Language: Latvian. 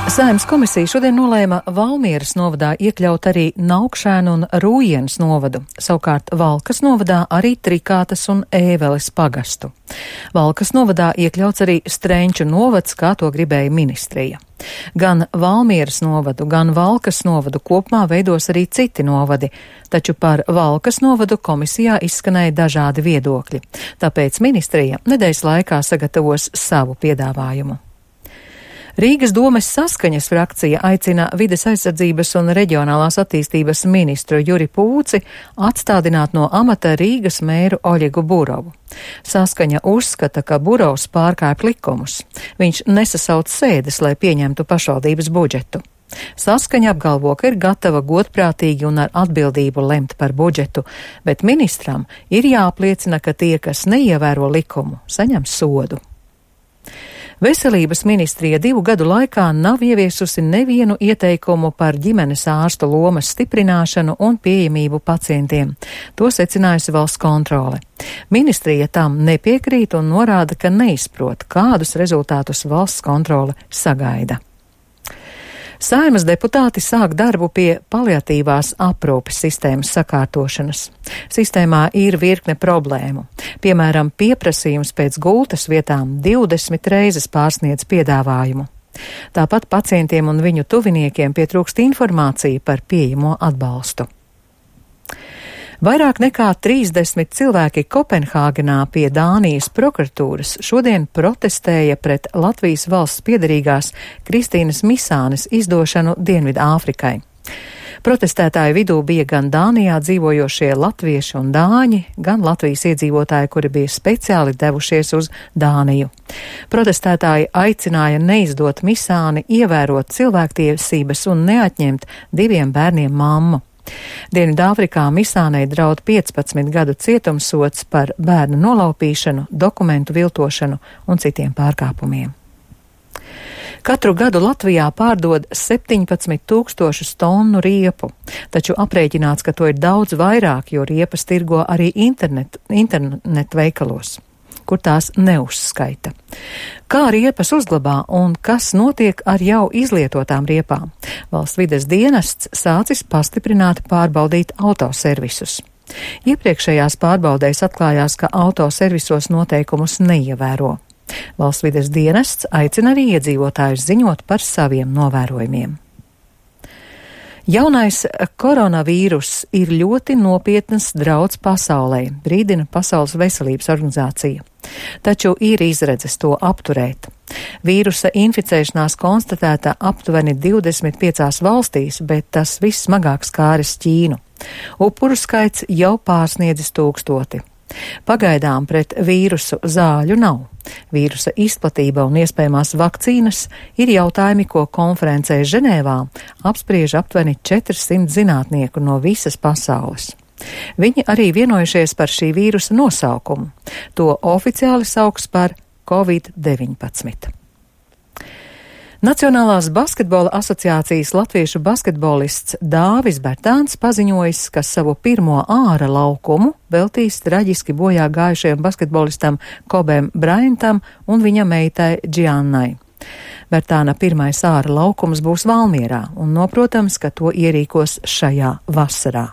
Saeimas komisija šodien nolēma Valmieras novadā iekļaut arī Naukšēnu un Rūjienas novadu, savukārt Valkas novadā arī Trikātas un Ēveles pagastu. Valkas novadā iekļauts arī Strenču novads, kā to gribēja ministrija. Gan Valmieras novadu, gan Valkas novadu kopumā veidos arī citi novadi, taču par Valkas novadu komisijā izskanēja dažādi viedokļi, tāpēc ministrija nedēļas laikā sagatavos savu piedāvājumu. Rīgas domes Saskaņas frakcija aicina vides aizsardzības un reģionālās attīstības ministru Juri Pūci atstādināt no amata Rīgas mēru Oļegu Burovu. Saskaņa uzskata, ka Burovs pārkāpj likumus. Viņš nesasauc sēdes, lai pieņemtu pašvaldības budžetu. Saskaņa apgalvo, ka ir gatava godprātīgi un ar atbildību lemt par budžetu, bet ministram ir jāapliecina, ka tie, kas neievēro likumu, saņem sodu. Veselības ministrija 2 gadu laikā nav ieviesusi nevienu ieteikumu par ģimenes ārstu lomas stiprināšanu un pieejamību pacientiem. To secinājusi valsts kontrole. Ministrija tam nepiekrīt un norāda, ka neizprot, kādus rezultātus valsts kontrole sagaida. Saeimas deputāti sāk darbu pie paliatīvās aprūpes sistēmas sakārtošanas. Sistēmā ir virkne problēmu. Piemēram, pieprasījums pēc gultas vietām 20 reizes pārsniedz piedāvājumu. Tāpat pacientiem un viņu tuviniekiem pietrūkst informācija par pieejamo atbalstu. Vairāk nekā 30 cilvēki Kopenhāgenā pie Dānijas prokuratūras šodien protestēja pret Latvijas valsts piederīgās Kristīnas Misānes izdošanu Dienvidāfrikai. Protestētāju vidū bija gan Dānijā dzīvojošie latvieši un dāņi, gan Latvijas iedzīvotāji, kuri bija speciāli devušies uz Dāniju. Protestētāji aicināja neizdot Misāni, ievērot cilvēktiesības un neatņemt 2 bērniem mammu. Dienvidāfrikā Misānei draud 15 gadu cietumsods par bērnu nolaupīšanu, dokumentu viltošanu un citiem pārkāpumiem. Katru gadu Latvijā pārdod 17 000 tonu riepu, taču aprēķināts, ka to ir daudz vairāk, jo riepas tirgo arī internet veikalos, kur tās neuzskaita. Kā riepas uzglabā un kas notiek ar jau izlietotām riepām? Valsts vides dienests sācis pastiprināti pārbaudīt autoservisus. Iepriekšējās pārbaudēs atklājās, ka autoservisos noteikumus neievēro. Valsts vides dienests aicina arī iedzīvotājus ziņot par saviem novērojumiem. Jaunais koronavīrus ir ļoti nopietnas drauds pasaulē, brīdina Pasaules veselības organizācija. Taču ir izredzes to apturēt. Vīrusa inficēšanās konstatēta aptuveni 25 valstīs, bet tas vissmagāk skāris Ķīnu. Upuru skaits jau pārsniedzis 1000. Pagaidām pret vīrusu zāļu nav. Vīrusa izplatība un iespējamās vakcīnas ir jautājumi, ko konferencē Ženēvā apspriež aptuveni 400 zinātnieku no visas pasaules. Viņi arī vienojušies par šī vīrusa nosaukumu. To oficiāli sauks par Covid-19. Nacionālās basketbola asociācijas latviešu basketbolists Dāvis Bertāns paziņojis, ka savu pirmo āra laukumu veltīs traģiski bojā gājušajam basketbolistam Kobem Braintam un viņa meitai Džiannai. Bertāna pirmais āra laukums būs Valmierā un noprotams, ka to ierīkos šajā vasarā.